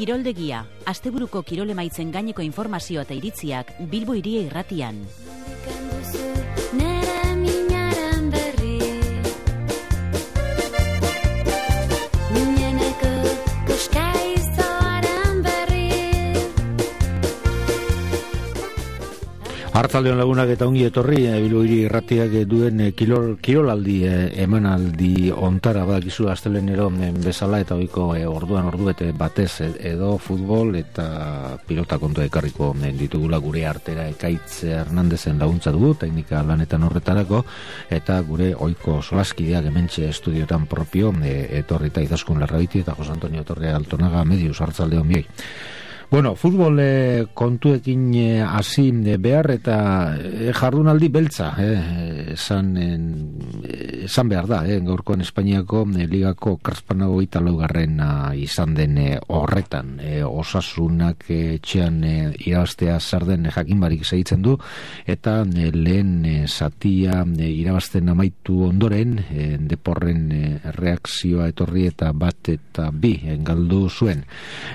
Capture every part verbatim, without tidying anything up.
Kiroldegia, asteburuko kirolemaitzen gaineko informazioa eta iritziak Bilbo Hiria Irratian. Arratsaldeon lagunak eta ongi etorri Bilbo Hiria Irratiak duen kirol, kirolaldi emanaldi ontara badakizu astelehenero bezala eta ohiko orduan ordubete batez edo futbol eta pilota kontua ekarriko ditugula gure artera. Ekaitz Hernandezen laguntza dugu teknika lanetan horretarako eta gure ohiko solaskideak hementxe estudioetan propio etorrita Izaskun Larrabiti eta Jose Antonio Torre Altonaga Medius. Arratsaldeon bioi. Bueno, futbol eh, kontuekin hasi eh, behar eta eh, jardunaldi beltza eh, esan, eh, esan behar da, eh, gaurkoan Espainiako eh, ligako Karspanago italaugarrena izan den eh, horretan. Eh, osasunak eh, etxean eh, irabaztea zer den eh, jakin barik segitzen du eta eh, lehen eh, zatia eh, irabazten amaitu ondoren eh, deporren eh, reakzioa etorri eta bat eta bi eh, galdu zuen.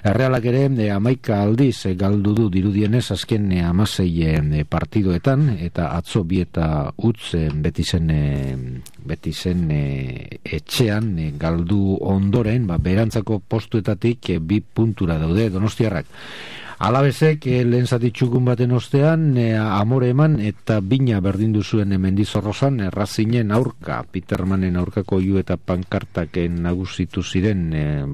Errealak ere eh, amaik aldiz e, galdu du dirudienez azken e, amasei e, partidoetan eta atzo bi eta utz e, beti zen, e, beti zen e, etxean e, galdu ondoren ba, berantzako postuetatik e, bi puntura daude Donostiarrak. Alabezek eh, lehen zati txukun baten ostean eh, amore eman eta bina berdindu zuen eh, Mendizorrozan errazinen aurka, Petermanen aurkako iu eta pankartak eh, nagusitu ziren eh,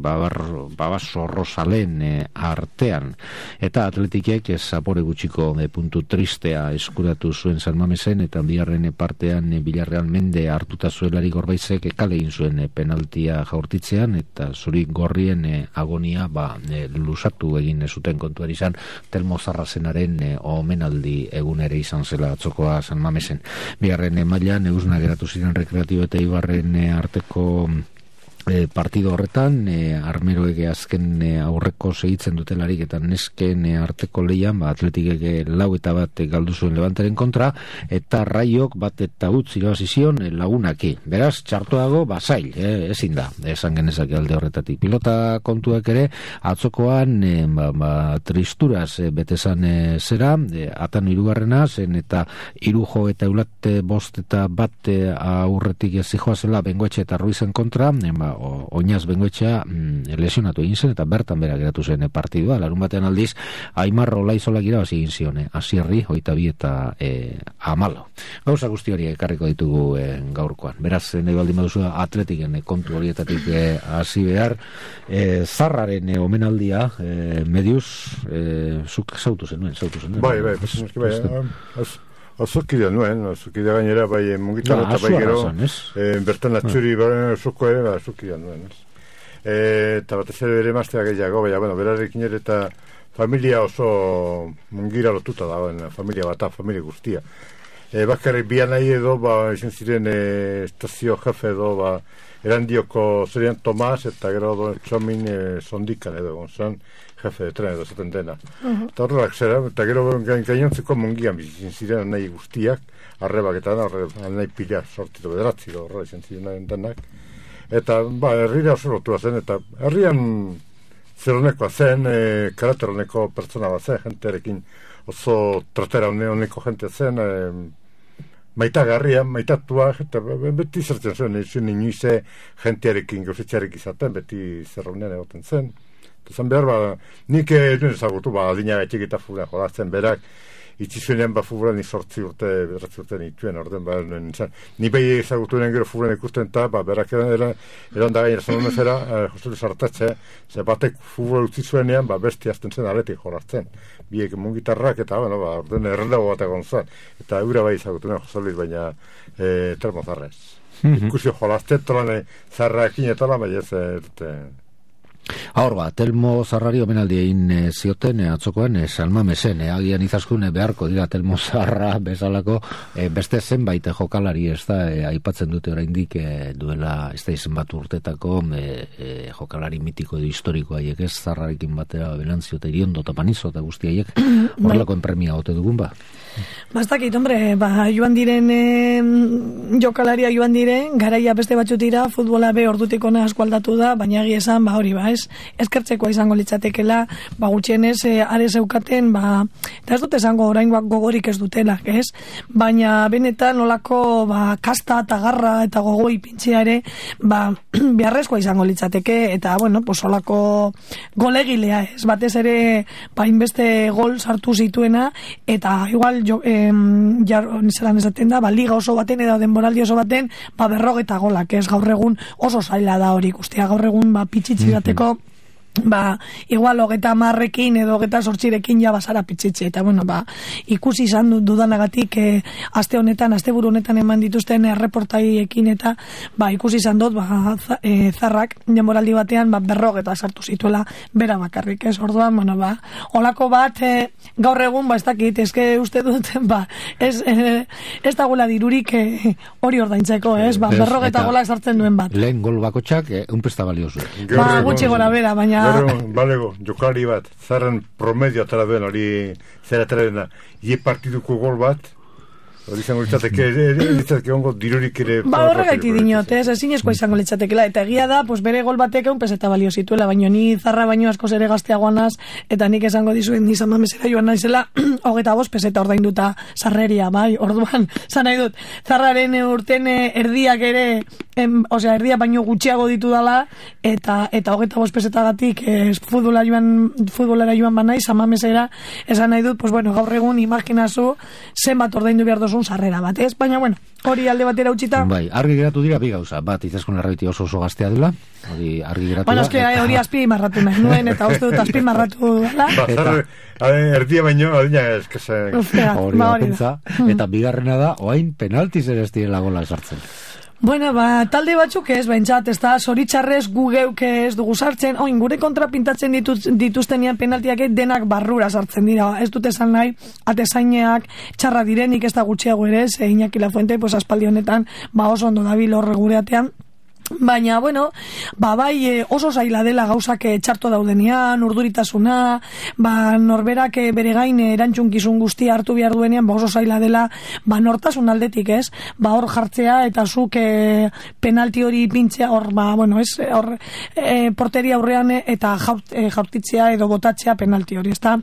babasorrozalen eh, artean. Eta atletikek eh, zapore gutxiko eh, puntu tristea eskuratu zuen San Mamesen eta biharren eh, partean eh, Bilarreal mende hartuta zuelari Gorbaizek eh, kale egin zuen eh, penaltia jaurtitzean eta zuri gorrien eh, agonia ba, eh, lusatu egin eh, zuten kontuari izan Telmo Zarrazenaren e, omenaldi egun ere izan zela atzokoa San Mamesen. Bigarren e, mailan eusna geratu ziren Rekreatibo eta Ibarren e, arteko E, partido horretan, e, armeroek azken e, aurreko segitzen dutelarik eta nesken e, arteko leian, ba, atletikek lau eta bat e, galdu zuen Levanteren kontra, eta Raiok bat eta utz irabazizion e, lagunaki. Beraz, txartoago, ba, zail, e, ezin da, esan genezake alde horretatik. Pilota kontuak ere, atzokoan, e, ba, ba, tristuraz e, betezan e, zera, e, atan irugarrena, zen eta irujo eta eulate bost eta bat e, aurretik zijoa zela Bengoetxe eta Ruizen kontra, e, ba, oinaz Bengoetxea mm, lesionatu egin zen eta bertan bera geratu zen partidua. Larun batean aldiz Aimarro Laizolak irabazi egin zion eh? Asierri, hogeita bi eta eh, amalo. Gauza guzti hori ekarriko ditugu eh, gaurkoan. Beraz, nahi baldin baduzu atletiken eh, kontu horietatik hasi eh, behar eh, Zarraren eh, omenaldia eh, Medius eh, zuk zautu zenuen, zautu zenuen. Bai, bai, bai, bai, bai. Azukidea nuen, azukidea gainera bai mugitza eta bai gero e, bertan atxuri azuko ere azukidea nuen. E, eta bat ez ere maztea gehiago, baina, bueno, berarekin ere eta familia oso mungira lotuta da, familia bata, familia guztia. E, Bakarrik bian nahi edo, ba, izan ziren e, estazio jefe edo, ba, erandioko zerian Tomas eta gero do, txomin e, sondikan edo, gonzan, jefe de tren edo zaten dena. Uh-huh. Eta horrelak zera, eta gero gainontzeko mungian bizizin ziren nahi guztiak, arrebaketan, arre nahi pila sortitu bederatzi, horrela izan ziren denak. Eta, ba, herrira oso lotua zen, eta herrian zeronekoa zen, e, karakter honeko pertsona bat zen, jentearekin oso tratera honeko jente zen, e, maitagarria, maitatua, eta beti zertzen zen, izan inoize jentearekin, gauzetxearekin izaten, beti zerronean egoten zen. Zan behar, ba, nik eduen ezagutu, ba, adina gaitik eta fuguran jolatzen berak, itxizuenean, ba, fuguran izortzi urte, beratzi urte nituen, orden, ba, nintzen, ni behi ezagutuenen gero fuguran ikusten eta, ba, berak eran, eran, eran da gainera zonon ezera, eh, jostelu sartatze, ze batek fuguran utzi zuenean, ba, besti azten zen aletik jolatzen, biek mungitarrak, eta, bueno, ba, orden, errendago bat egon zen, eta eura bai ezagutuen jostelu, baina, eh, termo zarrez. Mm-hmm. Ikusio jolazten, tolan, zarrakin eta la, baina ez, e, Hor ba, Telmo Zarrari omenaldi egin e, zioten e, atzokoan e, San Mamesen, e, agian Izaskun e, beharko dira Telmo Zarra bezalako e, beste zenbait jokalari ez da, e, aipatzen dute oraindik e, duela ez da izen bat urtetako e, e, jokalari mitiko edo historiko haiek ez, Zarrarekin batera Belanzio eta Iriondo eta Panizo eta guzti haiek horrelako enpremia gote dugun ba. Bastakit, hombre, ba, joan diren e, jokalaria joan diren, garaia beste batzutira, futbola be ordutik ona asko aldatu da, baina egia esan, ba hori ba, ez, eskertzekoa izango litzatekela, ba, gutxienez, e, are zeukaten, ba, eta ez dut esango oraingoak gogorik ez dutela, ez? Baina benetan nolako, ba, kasta eta garra eta gogoi pintzea ere, ba, beharrezkoa izango litzateke, eta, bueno, pues, olako golegilea, ez? Batez ere, ba, inbeste gol sartu zituena, eta igual, jo, em, jar, zelan esaten da, ba, liga oso baten, edo denboraldi oso baten, ba, berrogeta golak, ez? Gaur egun oso zaila da hori, guztia, gaur egun, ba, pitxitzi bateko, ba, igual hogeta marrekin edo hogeta sortzirekin ja basara pitzitze, eta bueno, ba, ikusi izan dudanagatik e, aste honetan, aste buru honetan eman dituzten erreportaiekin eta ba, ikusi izan dut, ba, e, zarrak denboraldi batean, ba, berrogeta sartu zituela bera bakarrik, ez, orduan, bueno, ba, olako bat e, gaur egun, ba, ez dakit, ezke uste dut, ba, ez, e, ez da gula dirurik e, hori ordaintzeko, ez, ba, berrogeta golak sartzen duen bat. Lehen gol bakotxak, e, un pesta baliozu. Ba, gutxi gora bera, baina Gero, balego, jokalari bat, zarren promedio atara duen, hori zera atara dena, ie partiduko gol bat, hori izango litzateke, litzateke ongo dirurik ere... Ba, horregaiti dinot, ez, ezinezkoa izango litzatekela, eta egia da, pues bere gol batek egun peseta balio zituela, baino ni zarra baino askoz ere gazteagoanaz, eta nik esango dizuen nizan mamesera joan naizela, hogeta bost peseta ordainduta sarreria, bai, orduan, zan nahi dut, zarraren urten erdiak ere, em, osea, erdia baino gutxiago ditu dala, eta eta hogeta bost pesetagatik es, futbola joan, futbolera joan banai, zamamesera, esan nahi dut, pues bueno, gaur egun imaginazu zenbat ordaindu behar dozun sarrera bat, ez? Baina, bueno, hori alde batera utxita. Bai, argi geratu dira bi gauza, bat, Itzaskun Larraiti oso oso gaztea dela, hori argi geratu bueno, da. Bueno, eske hori azpi marratu nahi nuen, eta uste dut azpi marratu dela. Ba, zarre, erdia baino, adina eskazen. Hori da, pentsa, eta bigarrena da, oain penaltiz ere ez direla gola esartzen. Bueno, ba, talde batzuk ez, behintzat, ez da, zoritxarrez gu geuk ez dugu sartzen, oin, gure kontra pintatzen dituz, dituztenian penaltiak denak barrura sartzen dira, ez dut esan nahi, atezaineak txarra direnik ez da gutxiago ere, ze Iñaki Lafuente, pues, aspaldi honetan, ba, oso ondo dabil horre gureatean, baina, bueno, ba, bai, e, oso zaila dela gauzak txarto daudenean, urduritasuna, ba, norberak bere gain erantzunkizun guztia hartu behar duenean, ba, oso zaila dela, ba, nortasun aldetik, ez? Ba, hor jartzea, eta zuk e, penalti hori pintzea, hor, ba, bueno, ez, hor, e, porteria aurrean eta jaurt, e, jaurtitzea edo botatzea penalti hori, ezta?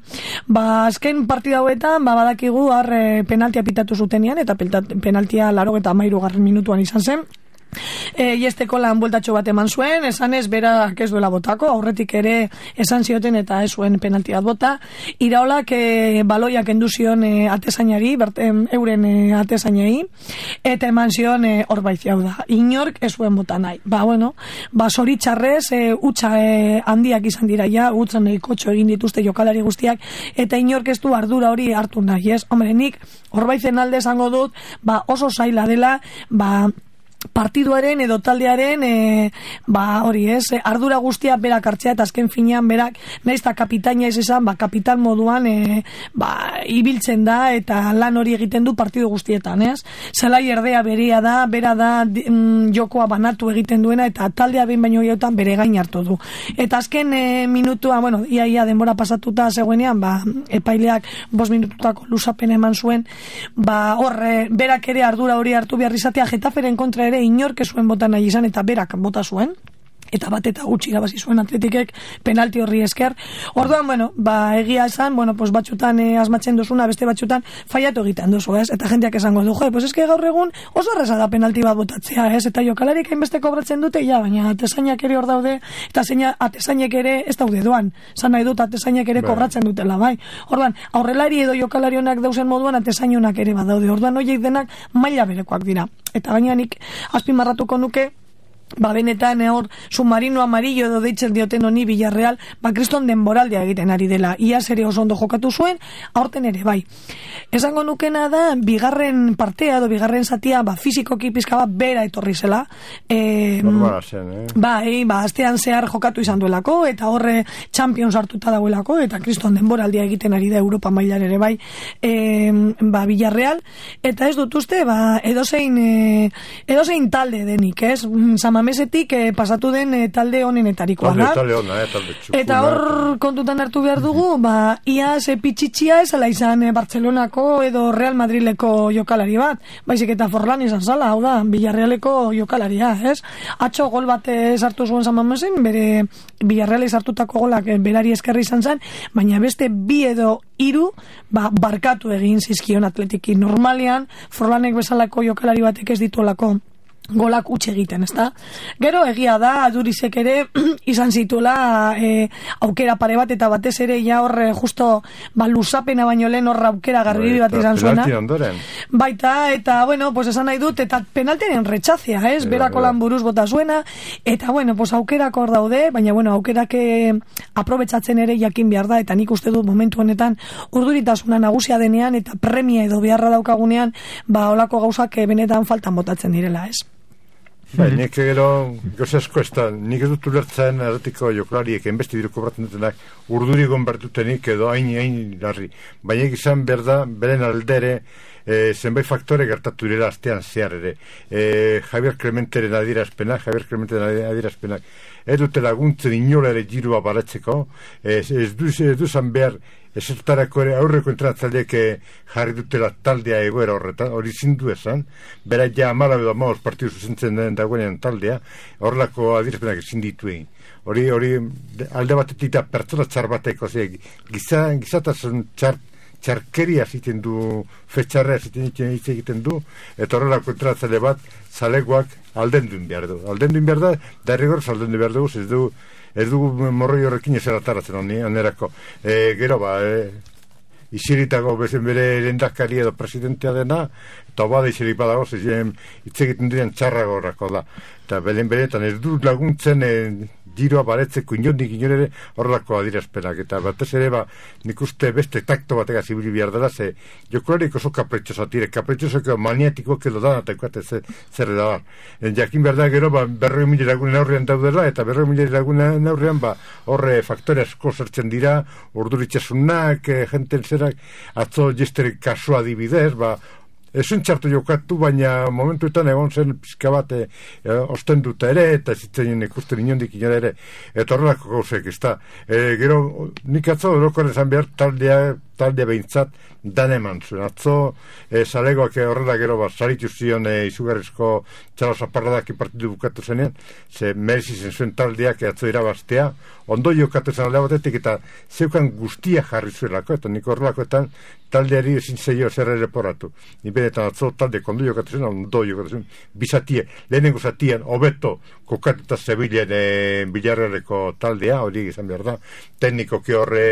Ba, azken partida hauetan, ba, badakigu, har, e, penaltia pitatu zutenean, eta penaltia laro eta amairu garren minutuan izan zen, E, iesteko lan bueltatxo bat eman zuen, esan ez berak ez duela botako, aurretik ere esan zioten eta ez zuen penalti bat bota, iraolak e, baloiak enduzion e, atezainari, berten euren e, atezainei, eta eman zion e, hor baiziau da, inork ez zuen bota nahi, ba bueno, ba zoritxarrez e, utxa e, handiak izan dira ja, utzan e, kotxo egin dituzte jokalari guztiak, eta inork ez du ardura hori hartu nahi, ez? Hombre, nik hor baizen alde esango dut, ba oso zaila dela, ba partiduaren edo taldearen e, ba hori ez, ardura guztia berak hartzea eta azken finean berak naiz eta kapitaina ez esan, ba kapitan moduan e, ba ibiltzen da eta lan hori egiten du partidu guztietan, ez? Zelai erdea berea da, bera da mm, jokoa banatu egiten duena eta taldea behin baino gehiagotan bere gain hartu du. Eta azken e, minutua, bueno, ia ia denbora pasatuta zegoenean, ba epaileak bost minututako luzapena eman zuen, ba hor e, berak ere ardura hori hartu behar izatea Getaferen kontra ere inork zuen bota nahi izan eta berak bota zuen eta bat eta gutxi irabazi zuen Atletikek penalti horri esker. Orduan, bueno, ba egia esan, bueno, pues batzutan eh, asmatzen duzuna, beste batzutan faiatu egiten duzu, ez? Eta jendeak esango du, jo, pues eske gaur egun oso erraza da penalti bat botatzea, ez? Eta jokalarik hainbeste kobratzen dute, ja, baina atezainak ere hor daude, eta zeina atezainek ere ez daude doan. Zan nahi dut atezainek ere kobratzen dutela, bai. Orduan, aurrelari edo jokalari honak dauzen moduan atezainak ere badaude. Orduan, horiek denak maila berekoak dira. Eta gaina nik azpimarratuko nuke, ba benetan hor submarino amarillo edo deitzen dioten honi Villarreal, ba kriston denboraldia egiten ari dela. Iaz ere oso ondo jokatu zuen, aurten ere bai. Esango nukena da, bigarren partea edo bigarren zatia, ba fizikoki pizka bat bera etorri zela. E, Normala zen, eh? Ba, e, ba, astean zehar jokatu izan duelako, eta horre Champions hartuta dagoelako, eta kriston denboraldia egiten ari da Europa mailan ere bai, e, ba Villarreal, eta ez dut uste, ba edozein, e, edozein talde denik, ez? Sama Mamesetik eh, pasatu den eh, talde honenetarikoa da. Talde hona, eh, talde txukuna. Eta hor kontutan hartu behar dugu, ba, iaz e, pitxitxia ez ala izan e, Bartzelonako edo Real Madrileko jokalari bat, baizik eta Forlan izan zala, hau da, Villarrealeko jokalaria, ez? Atxo gol bat sartu zuen San Mamesen, bere Villarreal sartutako golak e, berari eskerri izan zen, baina beste bi edo hiru ba, barkatu egin zizkion Atletiki. Normalean, Forlanek bezalako jokalari batek ez dituelako golak utxe egiten, ezta? Gero egia da, Adurizek ere izan zituela e, aukera pare bat, eta batez ere ja hor justo ba, luzapena baino lehen hor aukera garribi bat izan zuena. Baita, eta bueno, pues esan nahi dut, eta penaltenen retxazia, ez? Berako lan buruz bota zuena, eta bueno, pues aukerak hor daude, baina bueno, aukerak aprobetsatzen ere jakin behar da, eta nik uste dut momentu honetan urduritasuna nagusia denean, eta premia edo beharra daukagunean, ba, olako gauzak benetan faltan botatzen direla, ez? Bai, nik gero, goze asko ez da, nik ez dut ulertzen erretiko joklariek enbesti diruko braten dutenak urduri gonbertutenik edo hain hain larri. Baina izan berda, beren aldere, e, zenbait faktore gertatu direla astean zehar ere. E, Javier Clementeren adierazpenak, Javier Clementeren adierazpenak, ez dute laguntzen inola ere girua baratzeko, ez, ez du ez duzan behar esertarako ere aurreko entrenatzaileek jarri dutela taldea egoera horretan, hori zindu esan, bera ja amala edo amaos partidu zuzentzen den dagoenean taldea, horrelako adierazpenak ezin ditu egin. Hori, hori, alde batetik da pertsona txar bateko, giza, gizatasun txar, txarkeria ziten du, fetxarrea ziten egiten du, eta horrelako entrenatzaile bat, zalegoak aldendun behar du. Aldendun behar da, derrigor aldendun behar dugu, ez du, ez dugu morroi horrekin ez erataratzen onerako. E, gero ba, e, isiritako bezen bere lehendakari edo presidentea dena, eta bada isirik badago, zezen hitz egiten diren txarrago horrako da. Eta belen beretan ez du laguntzen e, giroa baretzeko inondik inorere horrelako adierazpenak, eta batez ere ba, nik uste beste takto batega zibili behar dela, ze jokularik oso kapretxosa tire, kapretxosako maniatikoak edo da, eta ikuate zer da. Jakin behar da gero, ba, berroi mila lagunen aurrean daudela, eta berroi mila lagunen aurrean, ba, horre faktore asko zertzen dira, urduritxasunak, e, jenten zerak, atzo jesterik kasua adibidez, ba, ezin txartu jokatu, baina momentuetan egon zen pizka bat e, osten dut ere, eta zitzen ikusten inondik inora ere, eta horrelako gauzek, ez da. E, gero, nik atzo, erokoren zan behar, taldea, taldea behintzat, dan eman zuen. Atzo, e, zalegoak horrela gero, bat, zaritu zion e, izugarrizko txalo zaparradak partidu bukatu zenean, ze merezi zen zuen taldeak atzo irabaztea, ondo jokatu zen alde batetik, eta zeukan guztia jarri zuelako, eta nik horrelakoetan taldeari ezin zeio zer ere poratu. Ni benetan atzo talde kondo jokatu zen, ondo jokatu zen, bizatie, lehenengo zatien, hobeto kokatuta zebilen e, Villarrealeko taldea, hori izan behar da, teknikoki horre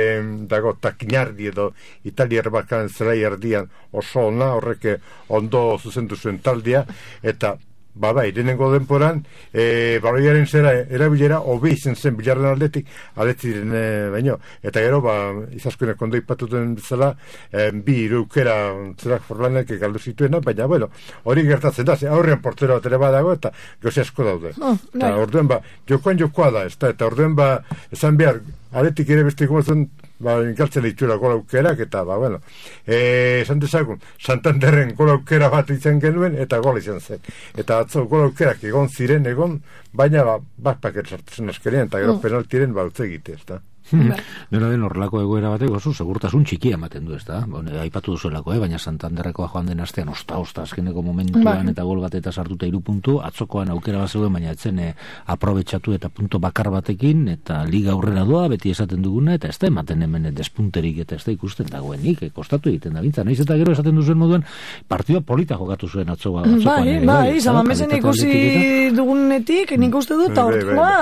dago takinardi edo italiar bakan zelai erdian oso ona, horrek ondo zuzendu zuen taldea, eta ba bai, lehenengo denporan e, baloiaren zera erabilera hobe izen zen Bilarren aldetik aldetik diren e, baino, eta gero ba, izaskoenak ondo ipatuten bezala e, bi ireukera zerak Forlanek galdu zituena, baina bueno, hori gertatzen da, aurrean portero bat ere badago eta goze asko daude. Oh, eta orduen ba, jokoan jokoa da, ez da, eta orduen ba, esan behar, aldetik ere beste ikumatzen ba, galtzen ditura gola aukerak, eta, ba, bueno, e, esan dezagun, Santanderren gola aukera bat izan genuen, eta gola izan zen. Eta atzo gola aukerak egon ziren, egon, baina, ba, bat paket sartzen askerien, eta gero oh. penaltiren ba, utze egite, ez da. Dena den horrelako egoera batek oso segurtasun txikia ematen du, ez da? Bueno, aipatu duzuelako, eh? Baina Santanderrekoa joan den astean osta-osta azkeneko momentuan bai. Eta gol bat eta sartuta hiru puntu, atzokoan aukera bat zeuden, baina etzen eh, aprobetxatu eta punto bakar batekin, eta liga aurrera doa, beti esaten duguna, eta ez da ematen hemen despunterik, eta ez da ikusten dagoenik, eh, kostatu egiten da bintza. Naiz eta gero esaten duzuen moduan, partida polita jokatu zuen atzoa. Bai, bai, Samamesen ikusi dugunetik, nik uste dut, aurtua,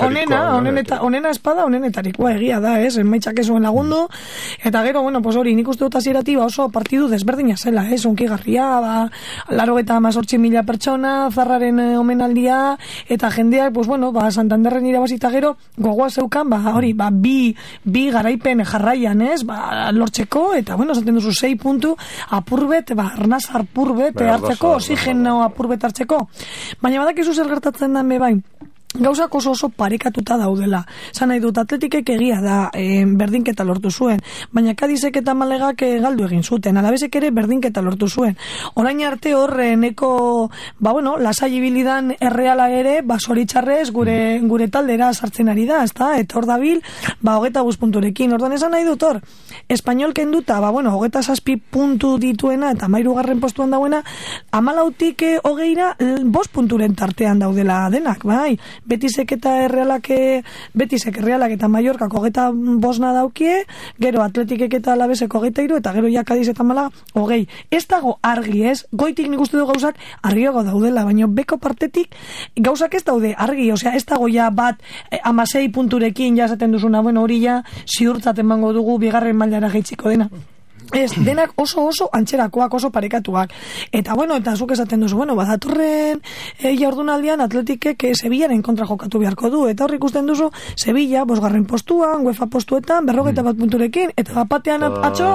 onena, onena espada, onenetarikoa egia da, ez, emaitzak ez zuen lagundu, eta gero, bueno, pues hori, nik uste dut hasieratik ba oso partidu desberdina zela, ez, unkigarria, ba, laro eta mazortzi mila pertsona, zarraren eh, omenaldia, eta jendeak, pues bueno, ba, Santanderren irabazita gero, gogoa zeukan, ba, hori, ba, bi, bi garaipen jarraian, ez, ba, lortzeko, eta, bueno, zaten duzu, sei puntu, apurbet, ba, arnaz apurbet hartzeko, oxigeno apurbet hartzeko, baina badakizu zer gertatzen da, me bai, gauzak oso oso parekatuta daudela. Zan nahi dut, Atletikek egia da e, berdinketa lortu zuen, baina Kadizek eta Malegak e, galdu egin zuten, Alabesek ere berdinketa lortu zuen. Orain arte horre neko, ba bueno, lasai ibilidan Erreala ere, ba zoritxarrez gure, gure taldera sartzen ari da, ezta? Eta hor dabil, ba hogeta bost punturekin, orduan esan nahi dut hor, Espainol kenduta, ba bueno, hogeta zazpi puntu dituena, eta mairugarren postuan dauena, amalautik e, hogeira, bost punturen tartean daudela denak, bai? Betisek eta Errealak, Betisek, Errealak eta Mallorcak hogeta bosna daukie, gero Atletikek eta Alabesek hogeita hiru, eta gero ja Kadiz eta Malaga hogei. Ez dago argi, ez? Goitik nik uste du gauzak argiago daudela, baina beko partetik gauzak ez daude argi, osea, ez dago ja bat eh, amasei punturekin jasaten duzuna, bueno, hori ja ziurtzat emango dugu bigarren mailara geitziko dena. Ez, denak oso oso antxerakoak, oso parekatuak. Eta bueno, eta zuk esaten duzu, bueno, badatorren e, jardunaldian Atletikek e, Sevillaren kontra jokatu beharko du, eta horrik ikusten duzu Sevilla, bosgarren postuan, UEFA postuetan, berrogeita bat punturekin, eta bapatean atxo,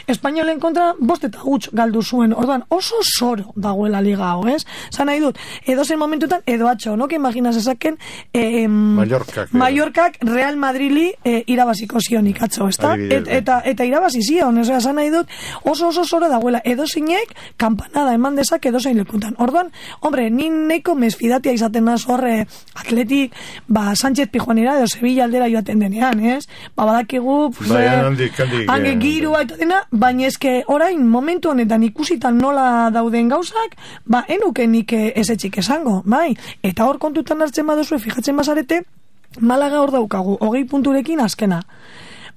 Espainolen kontra bost eta huts galdu zuen, orduan oso soro dagoela liga hau, ez? Zan nahi dut, edo zen momentutan, edo atxo, no? Que imaginas esaken eh, Mallorcak, Mallorcak Real Madrili eh, irabaziko zionik atxo, ez da? Et, eta, eta irabazi zion, ez da, nahi dut, oso oso soro dagoela, edo zinek kampanada eman dezak edo zein lekutan. Orduan, hombre, ni neiko mesfidatia izaten naz horre Atletik, ba, Sánchez Pijuanera edo Sevilla aldera joaten denean, ez? Ba, badakigu, hange girua eta dena, baina eske orain momentu honetan ikusitan nola dauden gauzak, ba, enuke nik ezetxik esango, bai? Eta hor kontutan hartzen baduzu, fijatzen bazarete, Malaga hor daukagu, hogei punturekin azkena.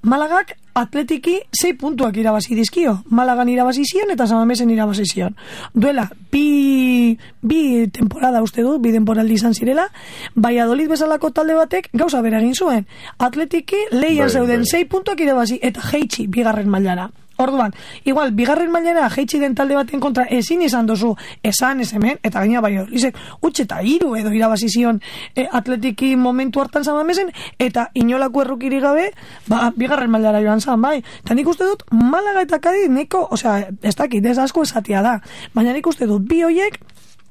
Malagak Atletiki sei puntuak irabazi dizkio. Malagan irabazi zion eta Samamesen irabazi zion. Duela, bi, bi temporada uste du, bi temporaldi izan zirela, Valladolid bezalako talde batek gauza bera egin zuen. Atletiki leian zeuden sei puntuak irabazi eta jeitsi bigarren mailara. Orduan, igual, bigarren mailara jeitsi den talde baten kontra ezin izan dozu esan ez hemen, eta gaina Valladolidek utxe eta hiru edo irabazi zion e, Atletiki momentu hartan Samamesen, eta inolako errukiri gabe, ba, bigarren mailara joan zan, bai. Eta nik uste dut, Malaga eta Kadiz neko, osea, ez dakit, ez asko esatia da, baina nik uste dut, bi hoiek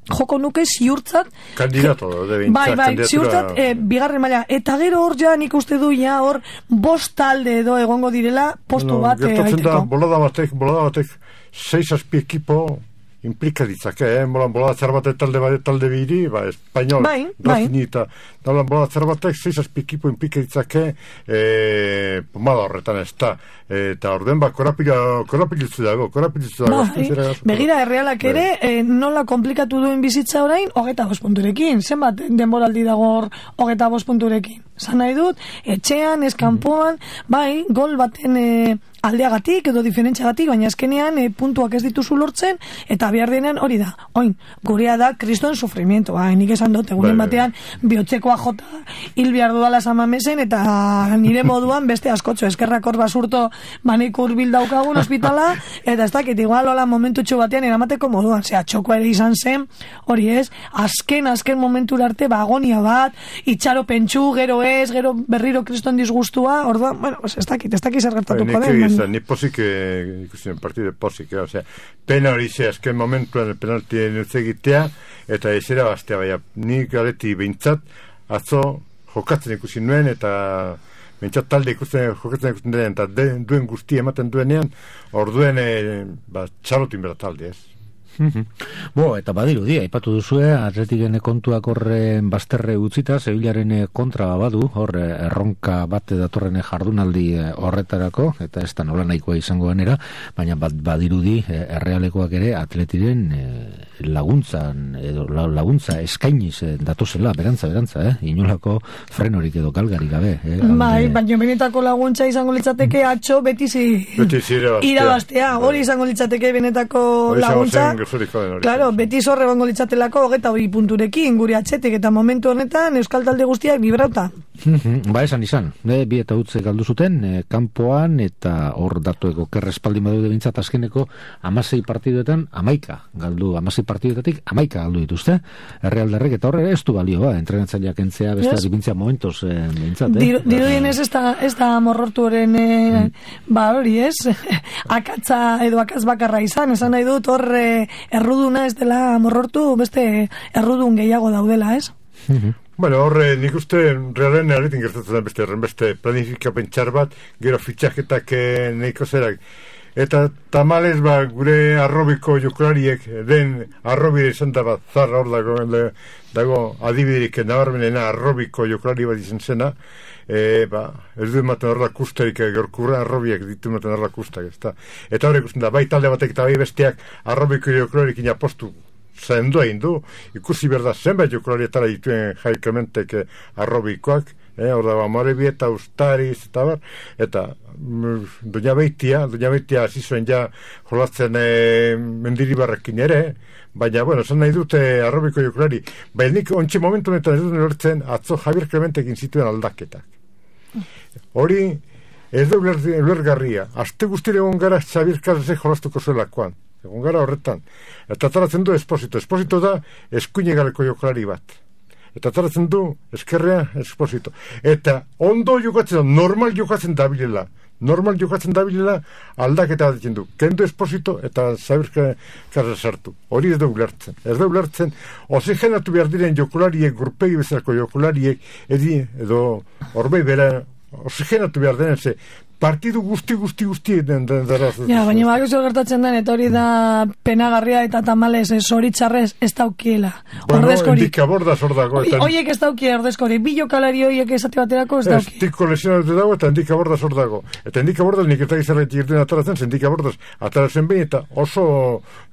joko nuke ziurtzat kandidato de bintzat, bai, bai, ziurtzat e, bigarren maila, eta gero hor ja nik uste du ja hor bost talde edo egongo direla postu no, bat e, aiteko. Da, bolada batek, bolada batek seis azpi ekipo implika ditzake, eh? Molan bolada zer batek talde bat talde biri, ba, Espainol, bai, bai. Eta nolan bolada zer batek seis azpi ekipo implika ditzake e, pomada horretan ez da. Eta orden ba, korapilitzu dago, korapilitzu dago. Bai, begira, Errealak ere, e, nola komplikatu duen bizitza orain, hogeta bost punturekin. Zenbat denboraldi dago hor hogeta bost punturekin. Zan nahi dut, etxean, eskampoan, bai, gol baten e, aldeagatik edo diferentziagatik, baina azkenean e, puntuak ez dituzu lortzen, eta behar denean hori da. Oin, gurea da kriston sufrimiento, bai, nik esan dut, egunen batean, bihotzekoa jota hil behar dudala Samamesen, eta nire moduan beste askotxo, eskerrak hor basurto manik urbil daukagun ospitala, eta ez dakit, igual hola momentu txu batean eramateko moduan, zera, txokoa ere izan zen, hori ez, azken, azken momentu arte, ba, agonia bat, itxaro pentsu, gero ez, gero berriro kriston disgustua, orduan, bueno, ez dakit, ez dakit zer gertatuko den. Ni posik, ikusten, partide posik, o sea, pena hori ze, azken momentuan penalti nutzegitea, eta ezera bastea, baina, nik galeti behintzat, atzo, jokatzen ikusi nuen, eta behintzat talde ikusten, jokatzen ikusten denean, eta de, duen guzti ematen duenean, orduen, e, ba, txalotin bera talde, ez? Bo, eta badiru dia, aipatu duzue, Atletiken kontuak horren bazterre utzita, Sevillaren kontra badu, hor erronka bat datorren jardunaldi horretarako, eta ez da nola nahikoa izango ganera, baina bat badirudi Errealekoak ere Atletiren laguntzan, edo laguntza eskainiz datozela, berantza, berantza, eh? Inolako frenorik edo galgarik gabe. Eh? Bai, baina benetako laguntza izango litzateke atxo betizi irabaztea, hori izango litzateke benetako laguntza. Claro, beti zorre bango litzatelako hogeta hori punturekin, guri atxetik, eta momentu honetan Euskal Talde guztiak bibrauta. Ba, esan izan, e, bi eta utze galdu zuten, e, kanpoan, eta hor datueko kerrespaldi badude bintzat azkeneko amasei partiduetan amaika galdu, amasei partiduetatik amaika galdu dituzte, Errealdarrek, eta horre ez du balio, ba, entrenatzaileak entzea, beste yes. Bintzea momentos e, bintzat, eh? Diru, diru dienez ez da, ez da morrortu horren, e, mm. ba, hori ez, akatza edo akaz bakarra izan, esan nahi dut horre erruduna ez dela morrortu, beste errudun gehiago daudela, ez? Bueno, horre, nik uste, realen erretin gertatzen beste, beste planifikapen txar bat, gero fitxaketak nahiko zerak. Eta tamalez, ba, gure arrobiko jokulariek, den arrobire izan da bat, zarra hor dago, dago adibiderik nabarmenena arrobiko jokulari bat izan zena, e, ba, ez du ematen horrela kustarik, gorkurra arrobiak ditu ematen horrela kustak, ez da. Eta horrek usten da, bai talde batek eta bai besteak arrobiko jokulariek inapostu zendu egin du, ikusi berda zenbait jokularietara dituen Jai Klementek arrobikoak, eh, hor dago Amorebieta, Ustariz, eta bar, eta mm, Doña Beitia, Doña Beitia hasi zuen ja jolatzen eh, Mendiribarrekin ere, baina, bueno, esan nahi dute arrobiko jokulari, baina nik ontsi momentu honetan ez dut lortzen atzo Javier Klementekin zituen aldaketak. Hori, ez da ulergarria, aste guztire egon gara Xabier Casasek jolastuko zuelakoan, egon gara horretan, eta taratzen du Esposito, Esposito da eskuine galeko jokulari bat. Eta taratzen du eskerrea Esposito. Eta ondo jokatzen da, normal jokatzen dabilela. Normal jokatzen dabilela aldaketa bat du. Kendu Esposito eta Xabier Casas sartu. Hori ez da ulertzen. Ez da ulertzen, oxigenatu behar diren jokulariek, gurpegi bezalako jokulariek, edi, edo horbei bera, oxigenatu behar denen, ze partidu guzti guzti guzti den dara. Ja, baina bak ezo gertatzen den, eta hori da penagarria eta tamalez zoritxarrez ez daukiela. Bueno, endikabordaz hor dago. Oiek ez dauki ordezkori, bi jokalari oiek esate baterako ez dauki. Ez tiko lesionatu dago eta endikabordaz hor dago. Eta endikabordaz nik eta gizarretik irten ataratzen, endikabordaz ataratzen behin eta oso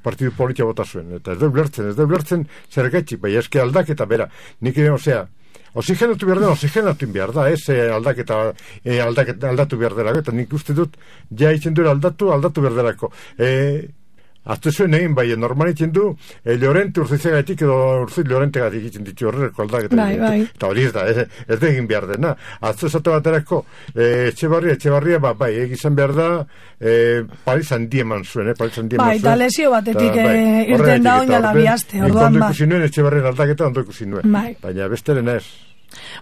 partidu politia bota zuen. Eta ez da ulertzen, ez da ulertzen zergaitxik, bai eske aldaketa bera. Nik ere, osea, oxigenatu behar den, oxigenatu behar da, ez aldaketa, e, aldaketa aldatu behar delako, eta nik uste dut, ja itzen duela aldatu, aldatu behar delako. E, Azte zuen egin, bai, normal itzen du, e, Llorente urzizegatik edo urziz Llorentegatik itzen ditu horreko aldaketa. Bai, bai. Eta hori ez da, ez, ez da egin behar dena. Azte esate baterako, e, etxebarria, etxebarria, ba, bai, egizan behar da, e, Paris handi eman zuen, eh, Paris handi eman zuen. Bai, eta lesio batetik bai, irten da oina labiazte, orduan ba. Ondo ikusi nuen, etxebarrien aldaketa ondo ikusi nuen. Bai. Baina besteren ez.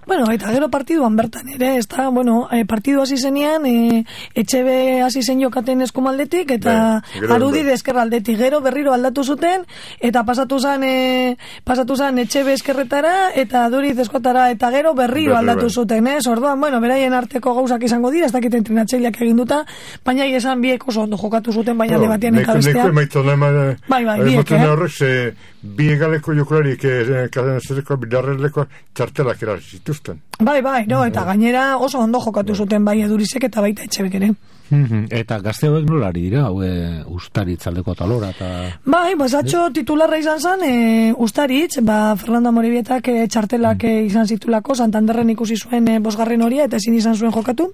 Bueno, eta gero partiduan bertan ere, ez da, bueno, e, partidu hasi zenean, e, etxebe hasi zen jokaten eskumaldetik, eta bai, arudi deskerraldetik, gero berriro aldatu zuten, eta pasatu zen, e, pasatu zen etxebe eskerretara, eta duriz eskotara, eta gero berriro aldatu bai. Zuten, ez? Orduan, bueno, beraien arteko gauzak izango dira, ez dakit entrenatzaileak egin duta, baina esan biek oso ondo jokatu zuten, baina no, debatien eta bestean. Bai, bai, biek, eh? Horrek, ze, bi egaleko jokularik, zereko bidarreleko txartelak era zituzten. Bai, bai, no, eta gainera oso ondo jokatu zuten bai Edurizek eta baita Etxebek ere. Eta gazte hauek nolari dira, haue Ustaritz aldeko talora eta... Bai, pues atxo titularra izan zen, e, Ustaritz, ba, Fernando Amorebietak e, txartelak e, izan zitulako, Santanderren ikusi zuen e, bosgarren horia eta ezin izan zuen jokatu.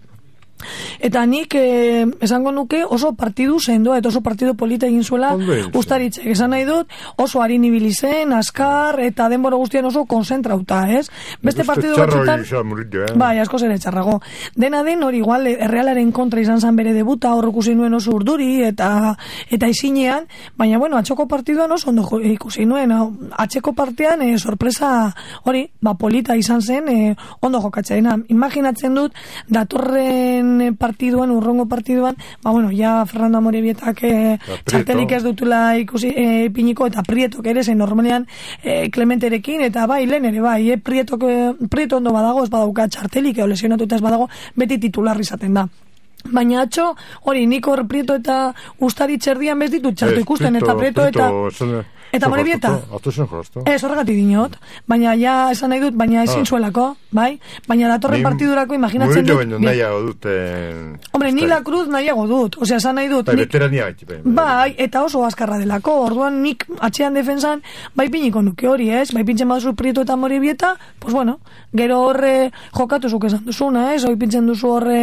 Eta nik eh, esango nuke oso partidu sendoa eta oso partidu polita egin zuela Ustaritzek. Esan nahi dut oso harin ibili zen, askar eta denbora guztian oso konzentrauta, ez? Beste partidu batzutan eh? bai, asko zer etxarrago. Dena den hori igual Errealaren kontra izan zan bere debuta, hor ikusi nuen oso urduri eta eta isinean, baina bueno, atxoko partiduan oso ondo ikusi nuen. Atxeko partean eh, sorpresa hori, ba polita izan zen, eh, ondo jokatzeena. Imaginatzen dut datorren partiduan, urrongo partiduan, ba bueno, ja Fernando Amorebietak eh, txartelik ez dutula ikusi eh, piniko eta Prietok ere zen normalean eh, Clementerekin eta bai, lehen ere bai, eh, Prietok, eh, Prieto ondo badago, ez badauka txartelik, edo lesionatuta ez badago, beti titular izaten da. Baina atxo, hori, nik hor Prieto eta Ustaritz erdian bez ditut txartu ikusten, eta Prieto eta... Eta Amorebieta? Ez, horregatik dinot. Baina ja, esan nahi dut, baina ezin ah. zuelako, bai? Baina datorren partidurako imaginatzen dut... Murillo baino nahiago dut... Hombre, ni la cruz nahiago dut. Osea, esan nahi dut... Bai, veterania gaitxe. Bai, eta oso azkarra delako. Orduan nik atxean defensan, bai piniko nuke hori, ez? Bai pintzen baduzu Prieto eta Amorebieta, pues bueno, gero horre jokatu zuk esan duzuna, ez? Hoi pintzen duzu horre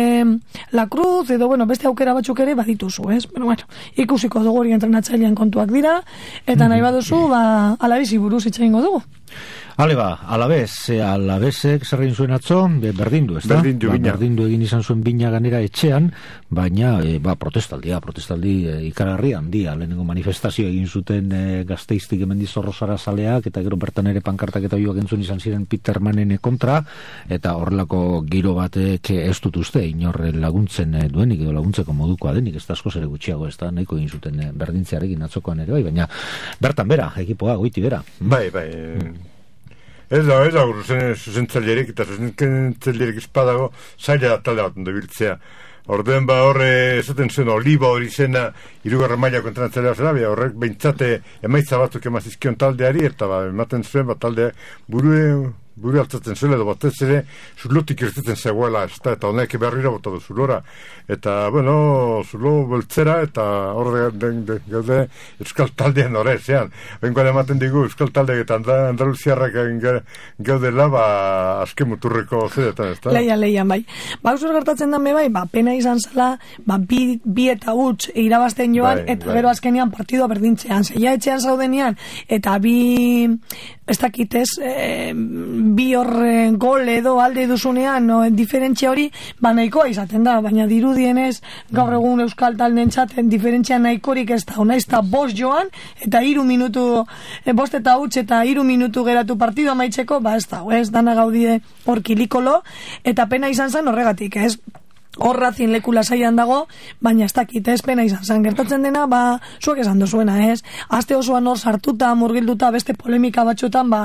la cruz, edo, bueno, beste aukera batzuk ere badituzu, ez? Bueno, bueno, ikusiko dugu hori entrenatzailean kontuak dira, eta nahi duzu, ba, alabizi buruz itxaingo dugu. Ale ba, alabez, alabezek zer egin zuen atzo, berdindu, ez da? Berdindu, ba, berdindu egin izan zuen bina ganera etxean, baina, e, ba, protestaldia, protestaldi e, ikararri handia, lehenengo manifestazio egin zuten e, Gasteiztik hemendiz Zorrozara zaleak, eta gero bertan ere pankartak eta bioak entzun izan ziren Petermanen kontra, eta horrelako giro batek ez dut uste, inorre laguntzen duenik, edo laguntzeko modukoa denik, ez da asko zere gutxiago, ez da, nahiko egin zuten e, berdintzearekin atzokoan ere, bai, baina bertan bera, ekipoa, goiti bera. Bai, bai, Ez da, ez da, zuzentzailerik eta zuzentzailerik espadago zaila talde bat ondo biltzea. Orduen ba horre, esaten zuen, Oliba hori zena, irugarren mailako entrenatzailea zela, horrek behintzate emaitza batzuk emazizkion taldeari, eta ba, ematen zuen, ba, talde burue, buru altzatzen zuen, edo batez ere, zulotik irtetzen zegoela, ez da, eta honek berriro bota du zulora. Eta, bueno, zulo beltzera, eta horre gaude euskal taldean horre, zean. Bengoan ematen digu, euskal taldeak eta Andaluziarrak gaudela, ba, azken muturreko zeretan, ez da? Leia, leia, bai. Ba, usur gertatzen dan bai, ba, pena izan zela, ba, bi, bi eta huts irabazten joan, bai, eta bai. Gero azkenean partidua berdintzean. Zeia etxean zaudenean, eta bi, ez dakitez, e, bi horre gol edo alde duzunean, no, diferentzia hori, ba, nahikoa izaten da, baina dirudienez, gaur egun euskal talden txaten, diferentzia nahikorik ez da, ona ez da bost joan, eta iru minutu, e, bost eta huts, eta iru minutu geratu partidu amaitzeko, ba, ez da, ez, dana gaudide hor kilikolo, eta pena izan zen horregatik, ez, horrazin leku lasaian dago, baina ez dakit, ez pena izan zen. Gertatzen dena, ba, zuek esan dozuena, ez? Aste osoan hor sartuta, murgilduta, beste polemika batzuetan, ba,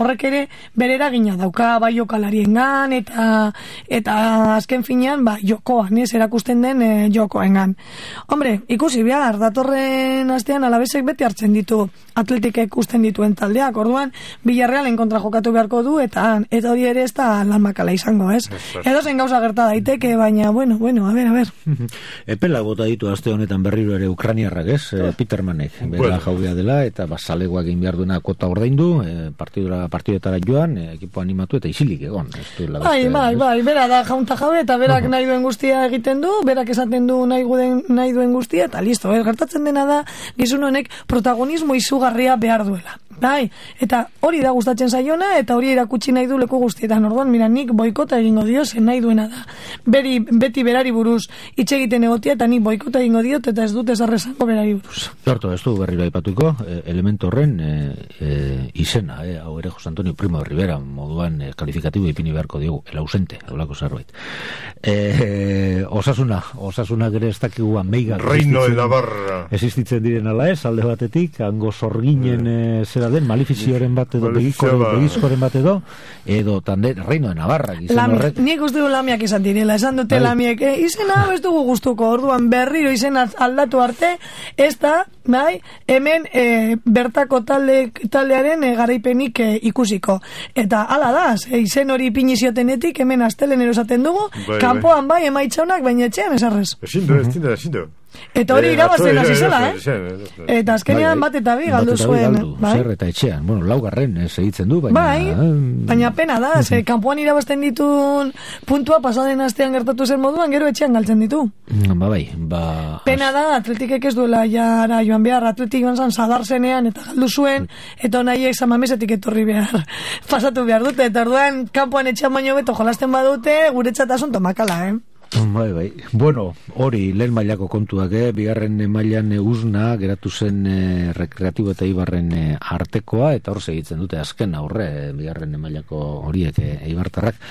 horrek ere bere eragina dauka, bai jokalariengan, eta eta azken finean, ba, jokoan, ez? Erakusten den e, jokoengan. Hombre, ikusi behar, datorren astean alabesek beti hartzen ditu, atletikek usten dituen taldeak, orduan, Villarrealen kontra jokatu beharko du, eta eta hori ere ez da lan makala izango, ez? Edo zen gauza gerta daiteke, baina bueno, bueno, a ver, a ver. Epela bota ditu aste honetan berriro ere ukraniarrak, ez? Oh. Petermanek, bera bueno. Jaubea dela, eta basalegoak egin behar duena kota ordaindu, e, partidura, partidetara joan, e, ekipo animatu eta isilik egon. Bai, bai, bai, bera da jaunta jabe, eta berak uh-huh. nahi duen guztia egiten du, berak esaten du nahi, guden, nahi duen guztia, eta listo, eh? Gertatzen dena da, gizun honek protagonismo izugarria behar duela. Bai, eta hori da gustatzen zaiona, eta hori erakutsi nahi du leku guztietan. Orduan, mira, nik boikota egingo dio, zen nahi duena da. Beri, beti berari buruz hitz egiten egotia, eta nik boikota egingo diot, eta ez dut ezarrezango berari buruz. Zarto, ez du berriro aipatuko, elemento horren e, e, izena, e, hau ere Jose Antonio Primo de Rivera, moduan e, kalifikatibo ipini beharko diogu, el ausente, haulako zerbait. E, e, osasuna, osasuna gere ez dakigu ameiga. Reino de Navarra. Existitzen diren ala ez, alde batetik, hango zorginen e, zera den, malifizioaren bat edo, begizkoren bat edo, edo tande, Reino de Navarra. Horrek... Nik uste du lamiak izan direla, esan dute lamiek, eh? Izena ez dugu gustuko, orduan berriro izena aldatu arte, ez da, bai, hemen e, bertako talde, taldearen e, garaipenik e, ikusiko. Eta ala da, e, izen hori piniziotenetik, hemen astelenero esaten dugu, bai, kanpoan bai, emaitxaunak, baina etxean esarrez. Ezindu, ezindu, ezindu. Eta hori irabazen hasi zela, eh? Eta azkenean bat eta bi galdu zuen. Zer eta etxean, bueno, laugarren segitzen du, baina... Bai, baina pena da, ze kanpoan irabazten ditun puntua pasaden astean gertatu zen moduan, gero etxean galtzen ditu. Ba bai, ba... Pena da, atletikek ez duela jara joan behar, atletik joan zan zadar zenean eta galdu zuen, eta nahiek zamamesetik etorri behar, pasatu behar dute, eta orduan kanpoan etxean baino beto jolasten badute, guretzat asunto makala, eh? Bai, bai. Bueno, hori lehen mailako kontuak, eh? Bigarren mailan uzna geratu zen eh, rekreatibo eta Ibarren eh, artekoa, eta hor segitzen dute azken aurre, eh, bigarren mailako horiek eh, Eibartarrak,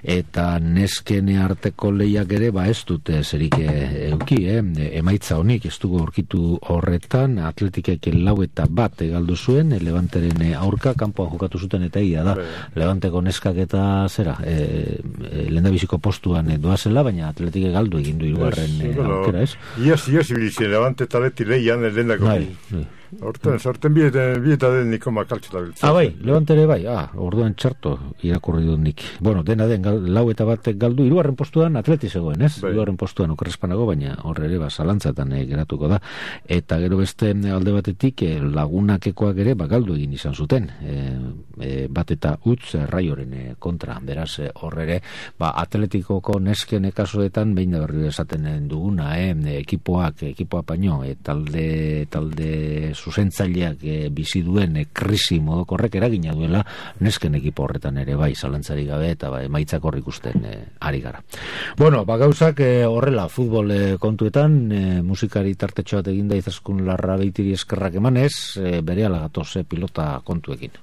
eta nesken arteko lehiak ere, ba ez dute zerik eh, euki, eh? Emaitza honik ez dugu aurkitu horretan, atletikek lau eta bat egaldu zuen, eh, Levanteren eh, aurka, kanpoan jokatu zuten eta egia da, Levanteko neskak eta zera, eh, eh, lehendabiziko postuan eh, doazela, baina atletik galdu egin du hirugarren yes, aukera, ez? Iaz, iaz, ibilizien, Levante eta Atleti lehian, lehendako. Horten, sorten bieta den niko makaltxeta biltzen. Ah, bai, Levante ere bai, ah, orduan txarto irakurri dut nik. Bueno, dena den, gal, lau eta bat galdu, hirugarren postuan Atleti zegoen, ez? Bai. Hirugarren postuan okerrespanago, baina horre ere, ba, zalantzatan eh, geratuko da. Eta gero beste alde batetik, eh, lagunakekoak ere, ba, galdu egin izan zuten. Eh, eh, bat eta utz eh, raioren eh, kontra, beraz, eh, horre ere, ba, atletikoko nesken kasuetan, behin da berri esaten duguna, eh, ekipoak, ekipoa paino, eh, talde, talde zuzentzaileak e, bizi duen e, krisi modokorrek eragina duela nesken ekipo horretan ere bai zalantzari gabe eta bai emaitzak hor ikusten e, ari gara. Bueno, ba gauzak e, horrela futbol e, kontuetan e, musikari tartetxo bat eginda Izaskun Larrabeitiri eskerrak emanez e, berehala gatoz e, pilota kontuekin.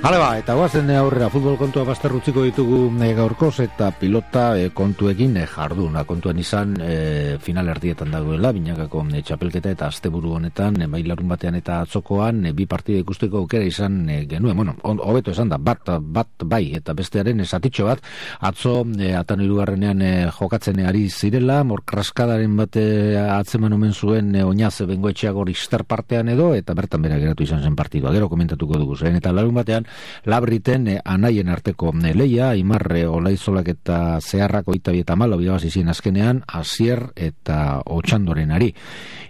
Hala ba, eta guazen aurrera futbol kontua bazterrutziko ditugu e, gaurkoz eta pilota e, kontuekin e, jarduna. Kontuan izan e, final erdietan dagoela, binakako e, txapelketa eta asteburu honetan, e, bai larun batean eta atzokoan, e, bi partida ikusteko aukera izan e, genuen. Bueno, hobeto esan da, bat, bat bai eta bestearen esatitxo bat, atzo e, atan irugarrenean e, jokatzen ari zirela, morkraskadaren bate atzeman omen zuen e, oinaz bengoetxeak hori star partean edo, eta bertan bera geratu izan zen partidua. Gero komentatuko dugu zen, eta larun batean Labriten eh, anaien arteko eh, leia, Imarre Olaizolak eta Zeharrak oita bi eta malo bidabazizien azkenean, Asier eta Otxandoren ari.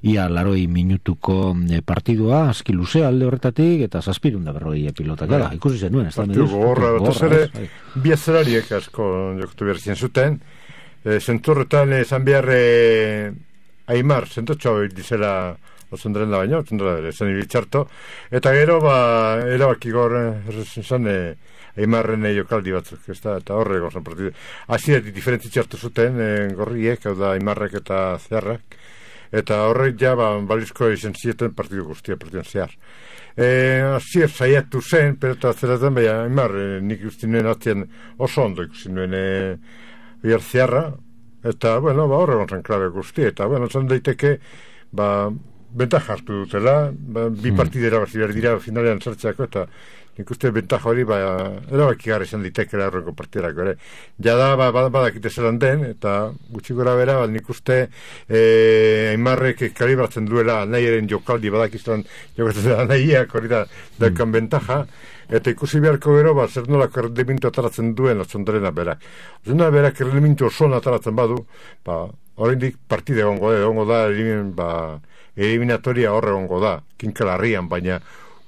Ia laroi minutuko eh, partidua, aski luzea alde horretatik, eta zazpirunda berroi pilotak. Gara, ikusi zen nuen. Partidu gogorra, eta zere, bi azerariek asko jokutu behar zien zuten. E, zenturretan, esan behar e, Aimar, zentotxo dizela Osondren da baino, osondren da zen ibitxarto, eta gero, ba, erabaki gaur, esan, e, Aimarren jokaldi batzuk, ez da, eta horre gozan partidu. Asi, diferentzi txartu zuten, e, gorriek, hau da, Aimarrek eta Zeharrak, eta horrek ja, ba, balizko izan zieten partidu guztia, partiduan zehar. E, Asi, saiatu zen, pelota zeraten, baina, Aimar, e, nik uste nuen atien oso ondo ikusi nuen, e, bihar Zeharra, eta, bueno, ba, horre gozan klabe guztia, eta, bueno, zan daiteke, ba, bentaja hartu dutela, ba, bi partidera bazi behar dira finalean sartzeako, eta nik uste bentaja hori ba, erabaki gara izan ditekela horreko partiderako ere. Ja da, ba, badakite zelan den, eta gutxi gora bera, ba, nik uste e, Aimarrek kalibratzen duela nahiaren jokaldi badakizan jokatzen dela nahiak hori da daukan bentaja, eta ikusi beharko gero, ba, zer nolako errendimintu ataratzen duen Otzondrena berak. Otzondrena berak errendimintu oso ataratzen badu, ba, oraindik partide egongo da, egongo da, elimin, ba, eliminatoria horre egongo da, kinkalarrian, baina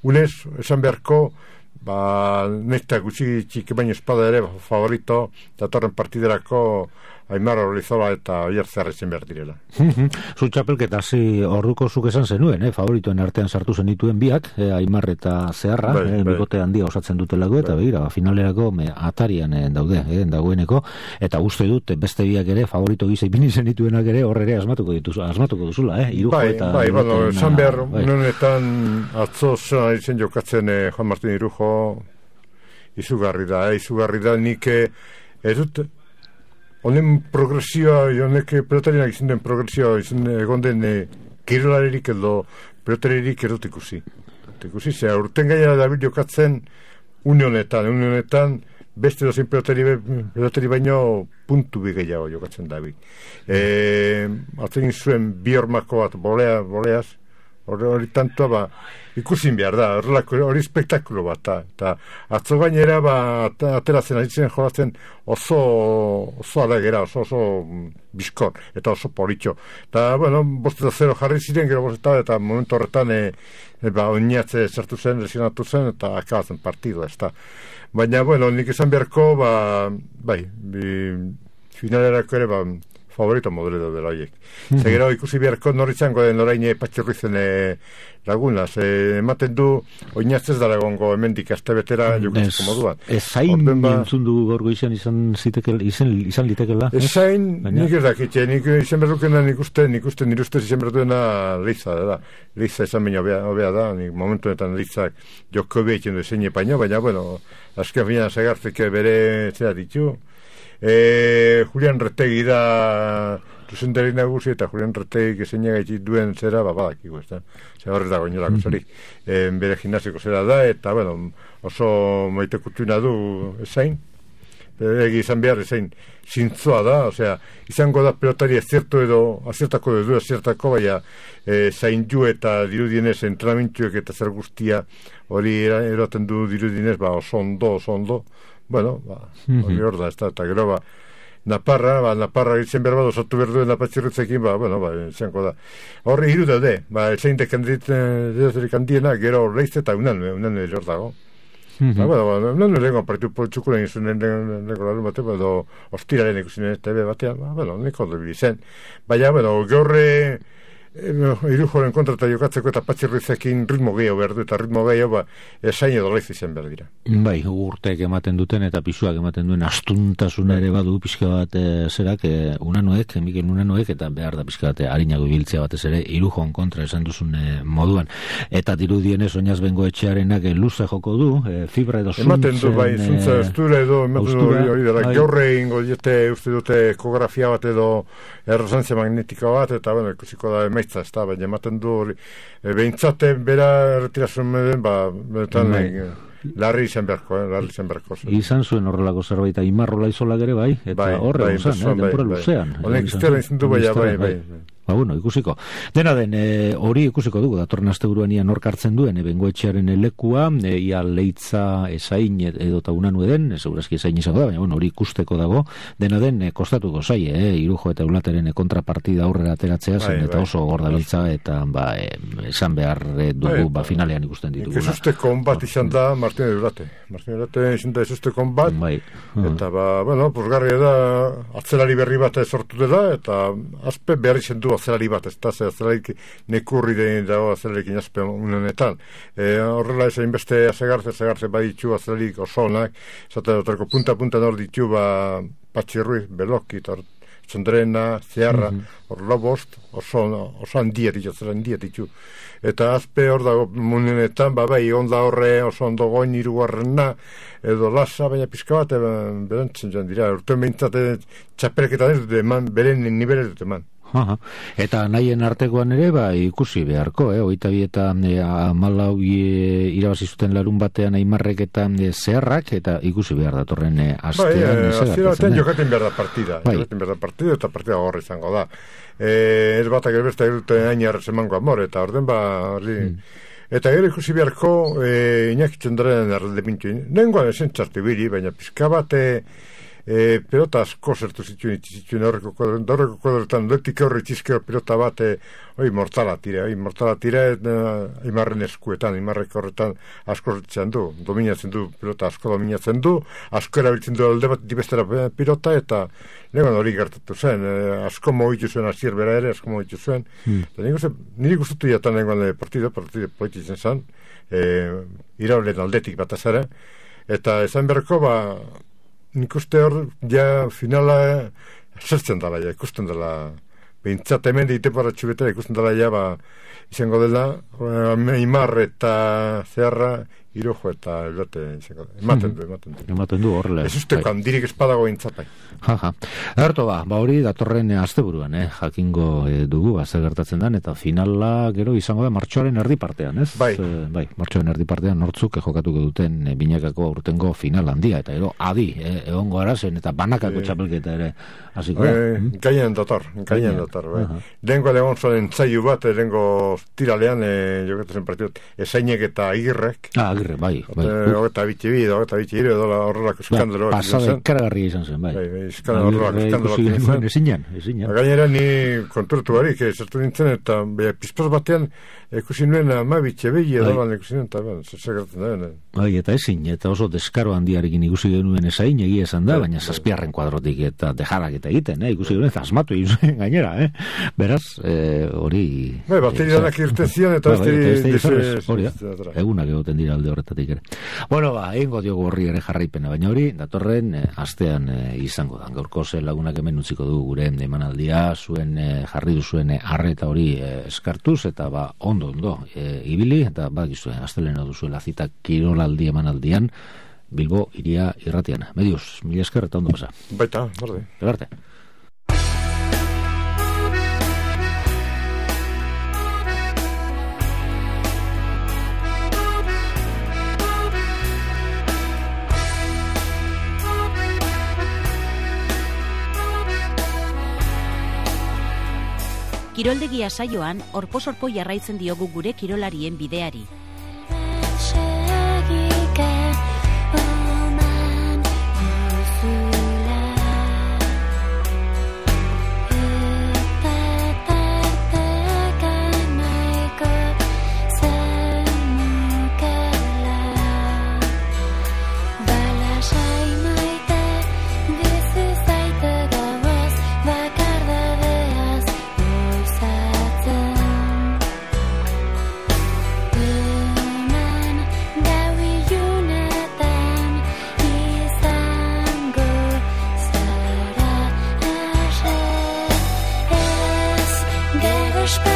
unez, esan beharko, ba, nekta gutxi txiki baino espada ere, favorito, datorren partiderako Aimar Olizola eta Oier Zeharretzen behar direla. Zu txapelketa hasi orduko zuk esan zenuen, eh? Favoritoen artean sartu zenituen biak, eh, Aimar eta Zeharra, bai, eh, bikote handia osatzen dutelago, eta bai. Begira, finalerako me, atarian eh, daude, eh, dagoeneko, eta uste dut beste biak ere, favorito gisa ipini zenituenak ere, horre ere asmatuko dituz, asmatuko duzula, eh? Irujo bai, eta... Bai, bueno, esan behar, bai. Unenetan atzo zena izen jokatzen eh, Juan Martin Irujo, izugarri da, eh? Izugarri da, nik eh, ez dut, honen progresioa, honek pelotarinak izan den progresioa, izan egon den e, kirolaririk edo pelotaririk erot ikusi. Ikusi, zera, urten gaia dabil jokatzen une honetan, une honetan beste dozein pelotari, pelotari baino puntu bi gehiago jokatzen dabil. E, Atzen zuen bi hormako bat, bolea, boleaz, hori, hori tantoa, ba, ikusin behar da, hori spektakulo bat, eta atzo gainera, ba, ateratzen, aritzen jolatzen oso, oso alegera, oso, oso bizkor, eta oso politxo. Eta, bueno, bosteta zero jarri ziren, gero bosteta, eta momentu horretan, e, e, ba, oinatze zertu zen, lesionatu zen, eta akabatzen partidua, ez da. Baina, bueno, nik esan beharko, ba, bai, bi, finalerako ere, ba, favorito modelo dela horiek. Mm-hmm. Zegero ikusi beharko norritzango den orain patxurrizen e, laguna, ze ematen du oinatzez dara egongo hemendik aste betera jokatzeko moduan. Ez zain ba, entzun du gorgo izan izan zitekel, izan, izan litekela? Ez zain, nik ez dakitxe, nik izan berrukena nik uste, nik uste nire ustez izan berduena Leiza, da. Leiza izan baina hobea da, nik momentuetan Leizak joko behiten du zein epaino, baina, bueno, azken fina zagartzeke bere zera ditu. E, Julian Retegi da zuzendari nagusi eta Julian Retegi kezeina gaitit duen zera, ba, badakiko, ez da. Zer horrez dago inolako zorik. E, bere gimnasiko zera da, eta, bueno, oso maite kutuina du ezain. Egi izan behar ezain zintzoa da, osea, izango da pelotari ezertu edo, azertako edo, azertako, baina e, zain ju eta dirudienez entrenamentuek eta zer guztia hori eroten du dirudienez, ba, oso ondo, oso ondo. Bueno, ba, hori hor da, ez da, eta gero, ba, Naparra, ba, Naparra itzen behar bat osatu behar duen napatxirretzekin, ba, bueno, ba, izango da. Horre hiru daude, ba, etzein dekandirik handiena, gero Leiz eta unan, unan ere hor dago. Mm-hmm. Ba, bueno, ba, unan ere lengo partitu poltsukulen izunen lengo larun batean, ba, edo ostiraren ikusinen T V batean, ba, bueno, neko debil izen. Baina, bueno, gaurre Irujoren kontra eta jokatzeko eta Patxirruizekin ritmo gehiago behar du, eta ritmo gehiago ba, esain edo laiz izan behar dira. Bai, urteek ematen duten eta pisuak ematen duen astuntasuna ere badu pixka bat e, zerak, e, unanoek, Mikel Unanoek, eta behar da pixka bat harinago ibiltzea batez ere Irujon kontra esan duzun e, moduan. Eta dirudienez Oinaz Bengoetxearenak e, luze joko du, e, fibra edo zuntzen... Ematen du, bai, zuntza estura edo, ematen du hori dara, gaurre ingo diete, uste dute ekografia bat edo errezantzia magnetika bat, eta bueno, ikusiko da emaitza, ez da, baina ematen du hori, e, behintzaten bera erretirazun meden, ba, benetan, e, larri izan beharko, eh, larri izan beharko. Izan zuen horrelako zerbait, Imarrola izolak ere bai, eta horre bai, izan, eh, denpora luzean. Honek iztera izan du bai, bai, bai. Ba, bueno, ikusiko. Dena den, e, hori ikusiko dugu, datorren asteburuan ia nork hartzen duen, e, Bengoetxearen lekua, e, ia Leitza esain edo ta Unanue den, e, segurazki esain izango da, baina bueno, hori ikusteko dago, dena den, e, kostatuko zai, e, Irujo eta Eulateren kontrapartida aurrera ateratzea, zen, bai, eta bai, oso gorda Leitza, eta ba, e, esan behar dugu, bai, ba, finalean ikusten ditugu. Ezusteko onbat izan da Martin Eulate. Martin Eulate izan da ezusteko onbat, bai. Eta, ba, bueno, posgarria da, atzelari berri bat sortu dela, eta azpe behar izan du azelari bat, ez da, ze azelarik nekurri den dago azelarik inazpe unenetan. E, horrela ez hainbeste azegartze, azegartze baditu azelarik oso onak, zate dotarko punta-punta nor ditu, ba, Patxirruiz, Beloki, Txondrena, Zeharra, hor mm-hmm. Lobost, oso, oso handia ditu, azela handia ditu. Eta azpe hor dago unenetan, ba, bai, onda horre, oso ondo goin irugarrena, edo lasa, baina pizka bat, berantzen joan dira, urtean behintzate txapelketan ez dut eman, beren nibele dut eman. Aha. Eta nahien artekoan ere, ba, ikusi beharko, eh? Oita bi eta e, amalau e, irabazi zuten larun batean Aimarrek eta e, Zeharrak, eta ikusi behar datorren e, astean. Bai, e, azira batean jokaten behar da partida, bai. Jokaten behar da partida, eta partida gorra izango da. E, ez batak erbesta egiten ainarrez emango amor, eta orden ba, ordi... Hmm. Eta gero ikusi beharko, e, Iñaki Txondrenen erralde pintu, nengoan esen txartu biri, baina pizka bat... E, E, pelota asko zertu zituen itxizituen horreko kuadretan, horreko kuadretan letik horre itxizkeo pelota bat e, oi mortala tira, oi mortala tira e, Aimarren eskuetan, Aimarrek horretan asko zertzen du, dominatzen du pelota asko dominatzen du, asko erabiltzen du alde bat dibestera pilota eta legan hori gertatu zen, e, asko mogitu zuen azier bera ere, asko mogitu zuen hmm. eta nire, nire gustatu jatan legan partido, partido polititzen zen e, iraulen aldetik bat azara eta esan berko ba nik uste hor, ja, finala zertzen dela, ja, ikusten dela behintzat hemen diite paratxu bete, ikusten dela, ja, ba, izango dela Aimar eta Zeharra Irujo eta Eulate izango dela, ematen du, ematen du ematen du horrela ez usteko handirik espadago behintzat jaja, erto ba, ba hori datorren asteburuan, eh, jakingo eh, dugu, ba, zer gertatzen den, eta finala gero izango da martxoaren erdi partean, ez? Bai, e, bai martxoaren erdi partean nortzuk jokatuko duten e, binakako aurtengo final handia, eta gero adi, eh, egongo arazen, eta banakako e, txapelketa ere hasiko da. E, mm? Gainen dator, gainen dator, bai. Uh-huh. Lengo egon zoen entzaiu bat, lengo tiralean, e, jokatzen partidot, esainek eta agirrek. Ah, agirre, bai. bai. Ogeta bitxe bi, ogeta bitxe iri, edo horrelako eskandalo. Ba, pasade karagarri izan zen, bai. Bai, bai, eskandalo, eskandalo. Ezinan, ezinan. Gainera ni konturatu barik, zertu nintzen, eta pizpoz batean ikusi nuen ama bitxe behi edo ban ikusi nuen, eta zertzagartzen da benen. Bai, eta ezin, eta oso deskaro handiarekin ikusi genuen esain, egia esan da, baina zazpiarren kuadrotik eta dejarak eta egiten, eh? Ikusi genuen zasmatu izuen gainera, eh? Beraz, hori... Eh, bai, bateri danak irten zian, eta hori da, egunak egoten dira alde horretatik ere. Bueno, ba, egingo diogu horri ere jarraipena, baina hori, datorren eh, astean eh, izango da. Gaurko ze lagunak hemen utziko du gure emanaldia, zuen eh, jarri duzuen arreta hori eh, eskartuz, eta ba, ondo, ondo, eh, ibili, eta bakizue, astelena duzuela zita kirolaldi emanaldian, Bilbo iria irratian. Medios, mila esker eta ondo pasa. Baita, borde. Elarte. Kiroldegia saioan, orposorpo jarraitzen diogu gure kirolarien bideari. Bakardadeaz goizatzen espero